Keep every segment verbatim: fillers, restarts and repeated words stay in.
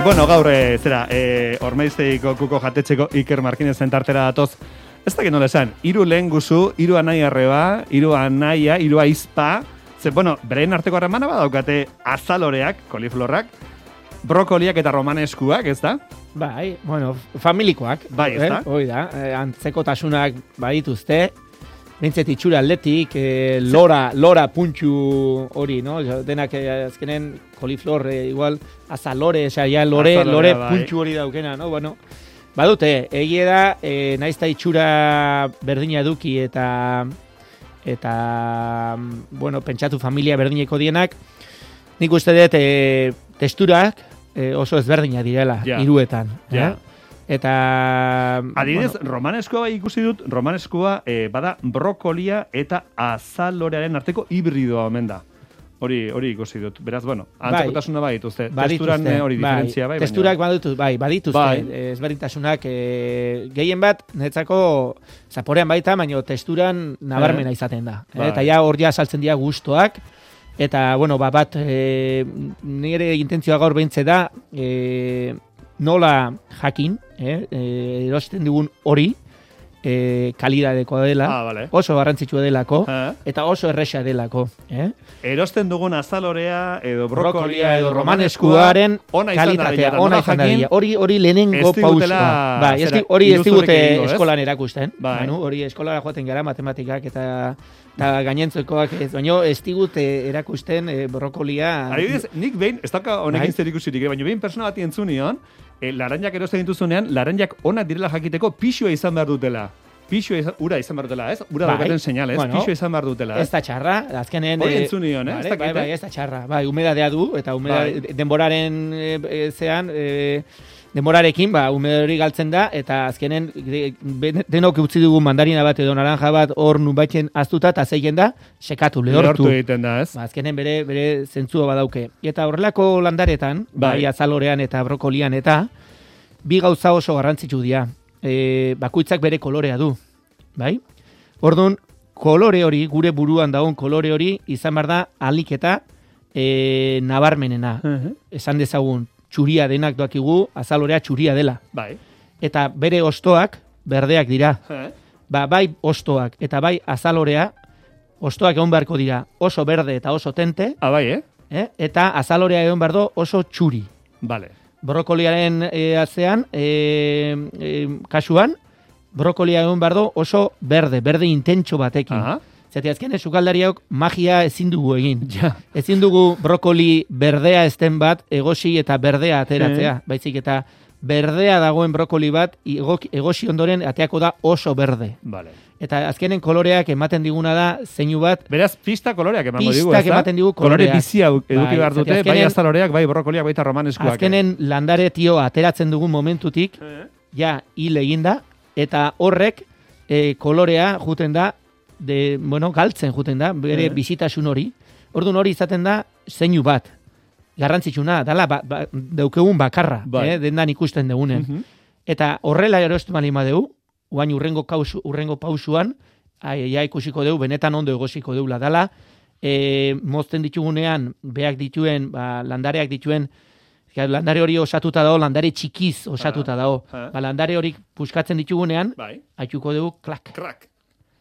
bueno, gaur, e, zera, e, Ormaiztegiko kuko jatetxeko Iker Markinezen tartera datoz. Ez dakit nola esan, hiru lehen guzu, hiru anai arreba, hiru anaia, hiru aizpa. Ze, bueno, beren arteko harremana badaukate azaloreak, koliflorrak, brokoliak eta romaneskuak, ez da? Bai, bueno, familikoak. Bai, ez da? Eh? Hoi da, eh, antzekotasunak badituzte. Bintzet itxura atletik, eh, lora, lora puntxu hori, no? Denak eh, azkenen koliflor, eh, igual, azalore, esa, ja, lore, Azalorea, lore bai. puntxu hori daukena, no? Bueno, badute, egie da, eh, naizta itxura berdina eduki eta, eta, bueno, pentsatu familia berdineko dienak, nik uste dut, eh, testurak eh, oso ezberdina direla, Ja. hiruetan. Ja. Eh? Eta... Adibidez, bueno, romaneskoa bai ikusi dut, romaneskoa e, bada brokolia eta azalorearen arteko hibridoa omen da. Hori hori ikusi dut. Beraz, bueno, antzekotasuna bai dituzte. Testuran eh, hori diferentzia bai. Testurak baina... badituz, bai, badituzte. Bai. Ezberdintasunak e, gehien bat, netzako zaporean baita, baina testuran nabarmena izaten da. Bai. Eh? Eta ja hor ja saltzen dira gustoak. Eta, bueno, ba, bat, e, nire intentzioa gaur behintze da, e, nola jakin, eh, eh, erosten dugun hori, eh, kalidadeko dela, Ah, vale. oso garrantzitsua delako, Eh? eta oso erresa delako. Eh? Erosten dugun azalorea edo brokolia Brokolia edo edo romaneskuaren romaneskuaren ona izan kalitatea, dadila, ona nola izan jakin, dadila. Hori hori lehenengo ez digutela, pausua. Bai, ez zera, di- hori ez iruzurrik digute egingo, ez? eskolan erakusten. Bai. Manu, hori eskolara joaten gara matematikak eta eta gainentzekoak ez, baina ez digute erakusten eh, brokolia. Adibidez, nik behin, ez dauka honekin Bai. zer ikusirik, baina behin persona bati entzun nion, e, laranjak erosten dituzunean, laranjak onak direla jakiteko pixua izan behar dutela. Pixua izan, ura izan behar dutela, ez? Ura Bai. daukaten seinal, ez? Bueno, Pixua izan behar dutela, Ez ez? da txarra, azkenen... Hori eh, entzun nion, eh? Ez Bai, dakit, bai, eh? bai, ez da txarra. Bai, humedadea du, eta humeda, Bai. denboraren e, e, zean, e, denborarekin, ba, humedade hori galtzen da, eta azkenen de, ben- denok utzi dugu mandarina bat edo naranja bat hor nunbaiten aztuta, eta zeigen da, sekatu, lehortu. Lehortu egiten da, ez? Ba, azkenen bere, bere zentzua badauke. Eta horrelako landaretan, Bai. bai, azalorean eta brokolian eta, bi gauza oso garrantzitsu dira. E, bakoitzak bere kolorea du, bai? Orduan, kolore hori, gure buruan dagoen kolore hori, izan behar da ahalik eta e, nabarmenena. Uh-huh. Esan dezagun, txuria denak doakigu, azalorea txuria dela. Bai. Eta bere ostoak, berdeak dira. Eh? Ba, bai ostoak eta bai azalorea, ostoak egon beharko dira oso berde eta oso tente, Ah, bai, eh? eh? Eta azalorea egon behar du oso txuri. Vale. Brokoliaren e, atzean, e, e, kasuan, brokolia egon behar du oso berde, berde intentxo batekin. Aha. Zati azken sukaldariok magia ezin dugu egin. Ja. Ezin dugu brokoli berdea ezten bat egosi eta berdea ateratzea. Baizik eta berdea dagoen brokoli bat egok- egosi ondoren ateako da oso berde. Vale. Eta azkenen koloreak ematen diguna da zeinu bat Beraz, pista koloreak emango digu, Pistak ezta? ematen digu Kolore koloreak. bizia eduki Bai, behar dute, zati bai azkenen- azaloreak, bai brokoliak, baita romaneskuak. azkenen landare tio ateratzen dugun momentutik Eh? ja hil eginda eta horrek e, kolorea juten da de, bueno, galtzen juten da bere Eh. bizitasun hori. Orduan hori izaten da zeinu bat. Garrantzitsuna dala ba, ba, daukegun bakarra, Bai. eh, dendan ikusten dugunen. Mhm. Eta horrela erosten bali madeu, guain urrengo kausu, urrengo pausuan, ai, ja ikusiko deu, benetan ondo egosiko deula dala, e, mozten ditugunean, beak dituen, ba, landareak dituen, ja, landare hori osatuta dago, landare txikiz osatuta dago. ah. Ba, landare hori puskatzen ditugunean, Bai. haituko dugu klak. Krak.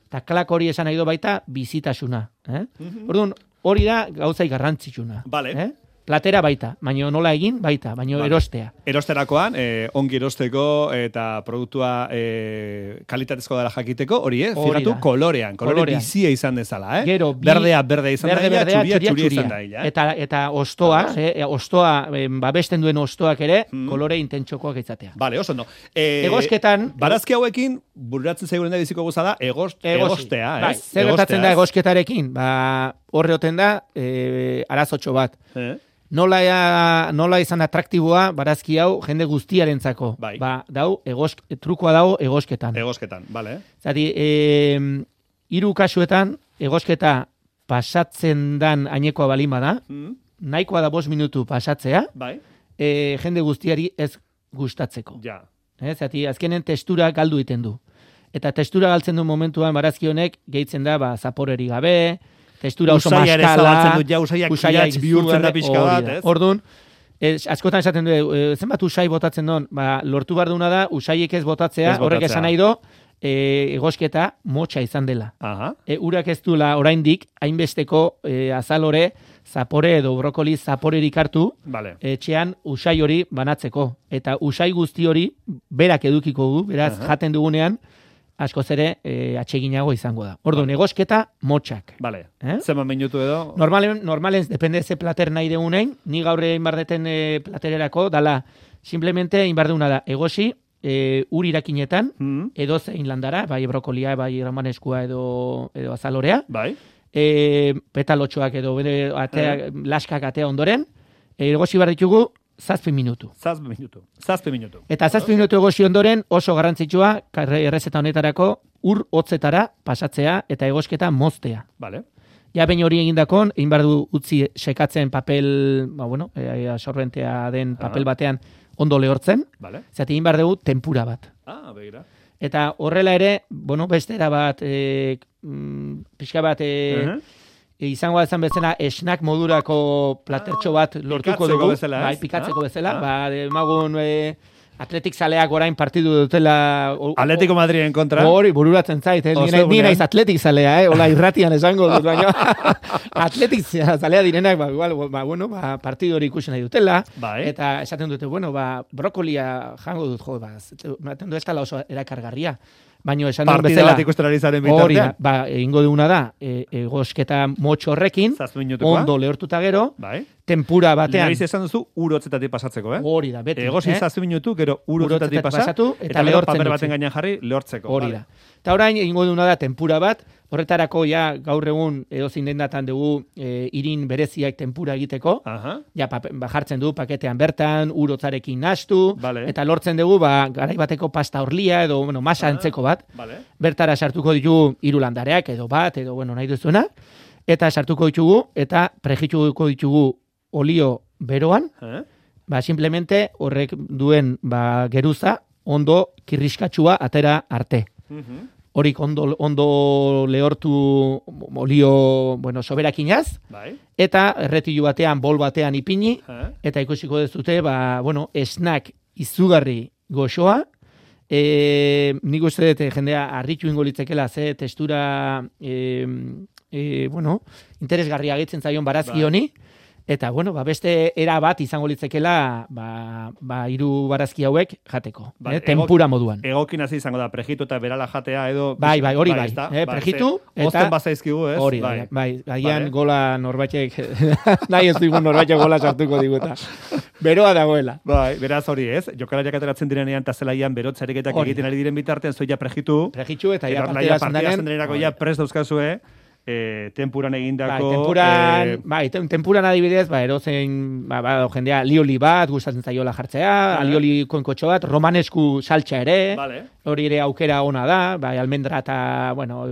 Eta klak hori esan nahi du baita bizitasuna. Eh? Mhm. Orduan, hori da gauzai garrantzitsuna. Vale. Eh? Platera baita, baina nola egin baita, baina Vale. erostea. Erosterakoan, eh, ongi erosteko eta produktua eh, kalitatezko dela jakiteko, hori, eh? Hori Fijatu da. kolorean, kolore Kolorean. bizia izan dezala, eh? Gero, bi- berdea, berdea izan Berde, daila, berdea, txuria, txuria, txuria txuria. izan daila. Eh? Eta, eta ostoak, eh, ostoa, eh, babesten duen ostoak ere, Mm. kolore intentxokoak izatea. Vale, oso ondo. Eh, Egosketan- Barazki hauekin, bururatzen zaigun da biziko goza da, egost, Egosi. egostea, Bai, ez? zer gertatzen Egostea, da ez? egosketarekin? Ba, horre oten da, eh, arazotxo bat. Eh? Nola, ea- nola izan atraktiboa barazki hau jende guztiarentzako. Bai. Ba, dau, egosk, trukoa dago egosketan. Egosketan, vale. Zati, e, hiru kasuetan, egosketa pasatzen dan ainekoa balima da, Mm, nahikoa da bost minutu pasatzea, bai, e, jende guztiari ez gustatzeko. ja. Eh, zati, azkenen testura galdu egiten du. Eta testura galtzen du momentuan barazki honek gehitzen da, ba, zaporeri gabe, testura oso Usaia ere maskala, zabaltzen dut, ja, usaiak usaia kiratz bihurtzen da izugarri, pixka hori bat, da. ez? Orduan, Ez, askotan esaten du, e, zenbat usai botatzen don, ba, lortu behar duna da, usaiek ez botatzea, Ez horrek botatzea. esan nahi do, e, egosketa motxa izan dela. Aha. E, urak ez duela oraindik hainbesteko e, azalore, zapore edo brokoli zaporerik hartu, Vale. etxean usai hori banatzeko. Eta usai guzti hori berak edukiko du, beraz Aha. jaten dugunean, askoz ere e, atseginago izango da. Orduan, egosketa motxak. Vale. Eh? Zenbat minutu edo? Normalen, normalen, depende ze plater nahi deunein, ni gaur egin bardeten e, platererako, dala, simplemente egin bardeuna da, egosi, e, ur irakinetan, Mm. edo zein landara, bai brokolia, bai romaneskua edo, edo azalorea, Bai. e, petalotxoak edo bere atea, laskak atea ondoren, e, egosi behar ditugu zazpi minutu. Zazpi minutu. Zazpi minutu. Eta zazpi minutu egosi ondoren oso garrantzitsua, karre- errezeta honetarako, ur hotzetara pasatzea eta egosketa moztea. Vale. Ja, behin hori egindakon, egin behar du utzi sekatzen papel, ba, bueno, e, absorbentea den papel Aha. batean ondo lehortzen, Vale. zati egin behar dugu tempura bat. Ah, begira. Eta horrela ere, bueno, bestera bat, e, mm, pixka bat, e, Uh-huh. e, izango izan bezala, snack modurako platertxo bat lortuko pikatzeko dugu. bezala, ez? Bai, pikatzeko Ah, bezala. ah. Ba, emagun e, atletik zaleak orain partidu dutela... o- o- Atletico Madriden kontra. Hori, bururatzen zait, eh? Ni nahi- ni Ostegunean. naiz atletik zalea, eh? Ola irratian esango dut, baina atletik zalea direnak, ba, igual, ba, bueno, ba, partidu hori ikusi nahi dutela, Bai. eta esaten dute, bueno, ba, brokolia jango dut, jo, ba, ematen du ez tala oso erakargarria. Baina esan duen Partida bezala, bat ikusten ari zaren hori da, bitartean. ba, egingo duguna da, e, egosketa motxo horrekin, Zazpi minutukoa. ondo lehortuta gero, Bai. tempura batean, Lehiz esan duzu, ur hotzetatik pasatzeko, eh? hori da, beti. Egosi eh? zazpi minutu, gero ur Ur hotzetatik hotzetatik pasa, pasatu, eta eta gero lehortzen paper utzi. baten gainean jarri, lehortzeko. Hori Vale. da. Eta orain egingo duguna da tempura bat, horretarako ja gaur egun edozein dendatan dugu e, irin bereziak tempura egiteko, Aha. ja pape, ba, jartzen du paketean bertan, urotzarekin nastu, Vale. eta lortzen dugu ba, garai bateko pasta horlia edo bueno, masa Ah. antzeko bat, Vale. bertara sartuko ditugu hiru landareak edo bat, edo bueno, nahi duzuena, eta sartuko ditugu, eta prejituko ditugu olio beroan, Eh? ba, simplemente horrek duen ba, geruza ondo kirriskatxua atera arte. Mhm. Horik ondo, ondo lehortu olio, bueno, soberakinaz, Bai. eta erretilu batean, bol batean ipini, Eh? eta ikusiko dezute, ba, bueno, snack izugarri goxoa, e, nik uste dut jendea harritu ingo litzekela, ze testura, e, e, bueno, interesgarria gehitzen zaion barazki Bai. honi, eta, bueno, ba, beste era bat izango litzekela, ba, ba, hiru barazki hauek jateko, Bai, eh, tempura moduan. Egokin hasi izango da, prejitu eta berala jatea edo... Bai, bai, hori bai. ezta? Eh, prejitu ze, eta- Ozten bazaizkigu, ez? Hori da, bai, agian Vale. gola norbaitek, nahi ez digun norbaitek gola sartuko diguta. Beroa dagoela. Bai, beraz hori ez, jokalariak ateratzen direnean eta zelaian berotzareketak Hori egiten ari diren bitartean, zoia prejitu, Prejitu eta ja eta partida ja partida zendenen. zendenerako ja prest dauzkazue, eh, tempuran Bai, egindako... tempuran, eh, bai, tem- tempuran adibidez, ba, erozein, ba, ba, jendea lioli bat, gustatzen zaiola jartzea, Ah. lioli konkotxo bat, romanesku saltxa ere, Vale. hori ere aukera ona da, bai, almendra eta, bueno,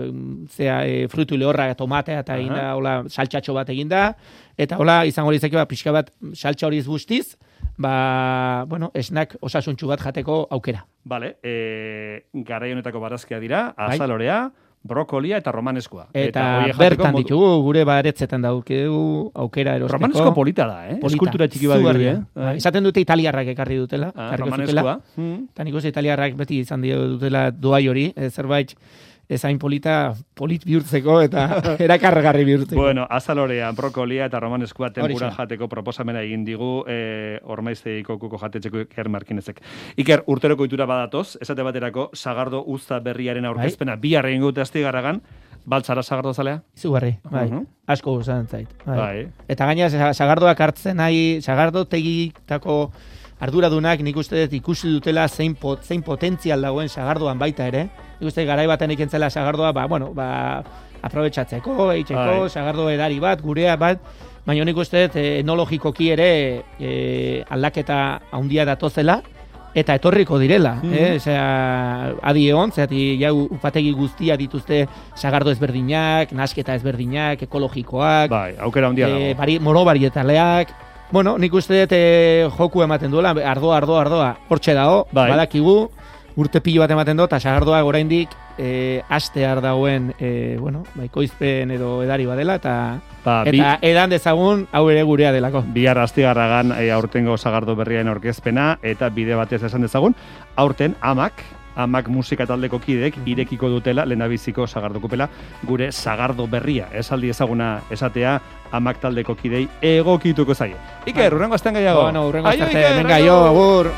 zea, e, frutu lehorra, tomatea eta Aha. eginda, hola, saltxatxo bat eginda, eta hola, izango litzake, ba, pixka bat, saltxa horiz guztiz, ba, bueno, esnak osasuntxu bat jateko aukera. Vale, eh, garai honetako barazkia dira, Bai. azalorea, brokolia eta romaneskua. Eta, horiek jateko bertan modu- ditugu, gure baretzetan daukegu aukera erosteko. Romanesko polita da, eh? Polita, Eskultura txiki bat izugarria. dirudi, eh? Bai, esaten dute italiarrak ekarri dutela. Ah, ekarriko romaneskua. zutela. Mm. Eta nik uste italiarrak beti izan dio dutela doai hori, eh, zerbait ezain polita, polit bihurtzeko eta erakargarri bihurtzeko. Bueno, azalorea, brokolia eta romaneskua tempuran Horixe. jateko proposamena egin digu eh, ormaizteiko kuko jatetxeko Iker Markinezek. Iker, urteroko itura badatoz, esate baterako, sagardo uzta berriaren aurkezpena, bai. bihar egin gute astigarragan, baltzara sagardo zalea? Izugarri, bai. Mhm. Asko gustatzen zait. Bai. Bai. Eta gaina sa- sagardoak hartzen nahi, sagardo tegitako arduradunak nik uste dut ikusi dutela zein, pot, zein potentzial dagoen sagardoan baita ere. Nik uste garai baten ikentzela sagardoa, ba, bueno, ba, aprobetxatzeko, eitzeko, Bai. sagardo edari bat, gurea bat, baina nik uste dut eh, enologikoki ere eh, aldaketa handia datozela, eta etorriko direla, Mhm. eh? Osea, adi egon, zeati jau upategi guztia dituzte sagardo ezberdinak, nasketa ezberdinak, ekologikoak, Bai, aukera handia eh, dago. bari, monobarietaleak. Bueno, nik uste dut eh, joku ematen duela, ardoa, ardoa, ardoa, hortxe dago, Bai. badakigu, urte pilo bat ematen dut, eta sagardoak oraindik e, astear dagoen, e, bueno, baikoizpen edo edari badela, eta, ba, eta bi, edan dezagun hau ere gurea delako. Bihar astigarragan e, aurtengo sagardo berriaren orkezpena, eta bide batez esan dezagun, aurten amak, amak musika taldeko kidek irekiko dutela, lehendabiziko sagardokupela, gure sagardo berria, esaldi ezaguna esatea, amak taldeko kidei egokituko zaie. Iker, urrengo astean gehiago. Bueno, urrengo astean, venga, jo, agur.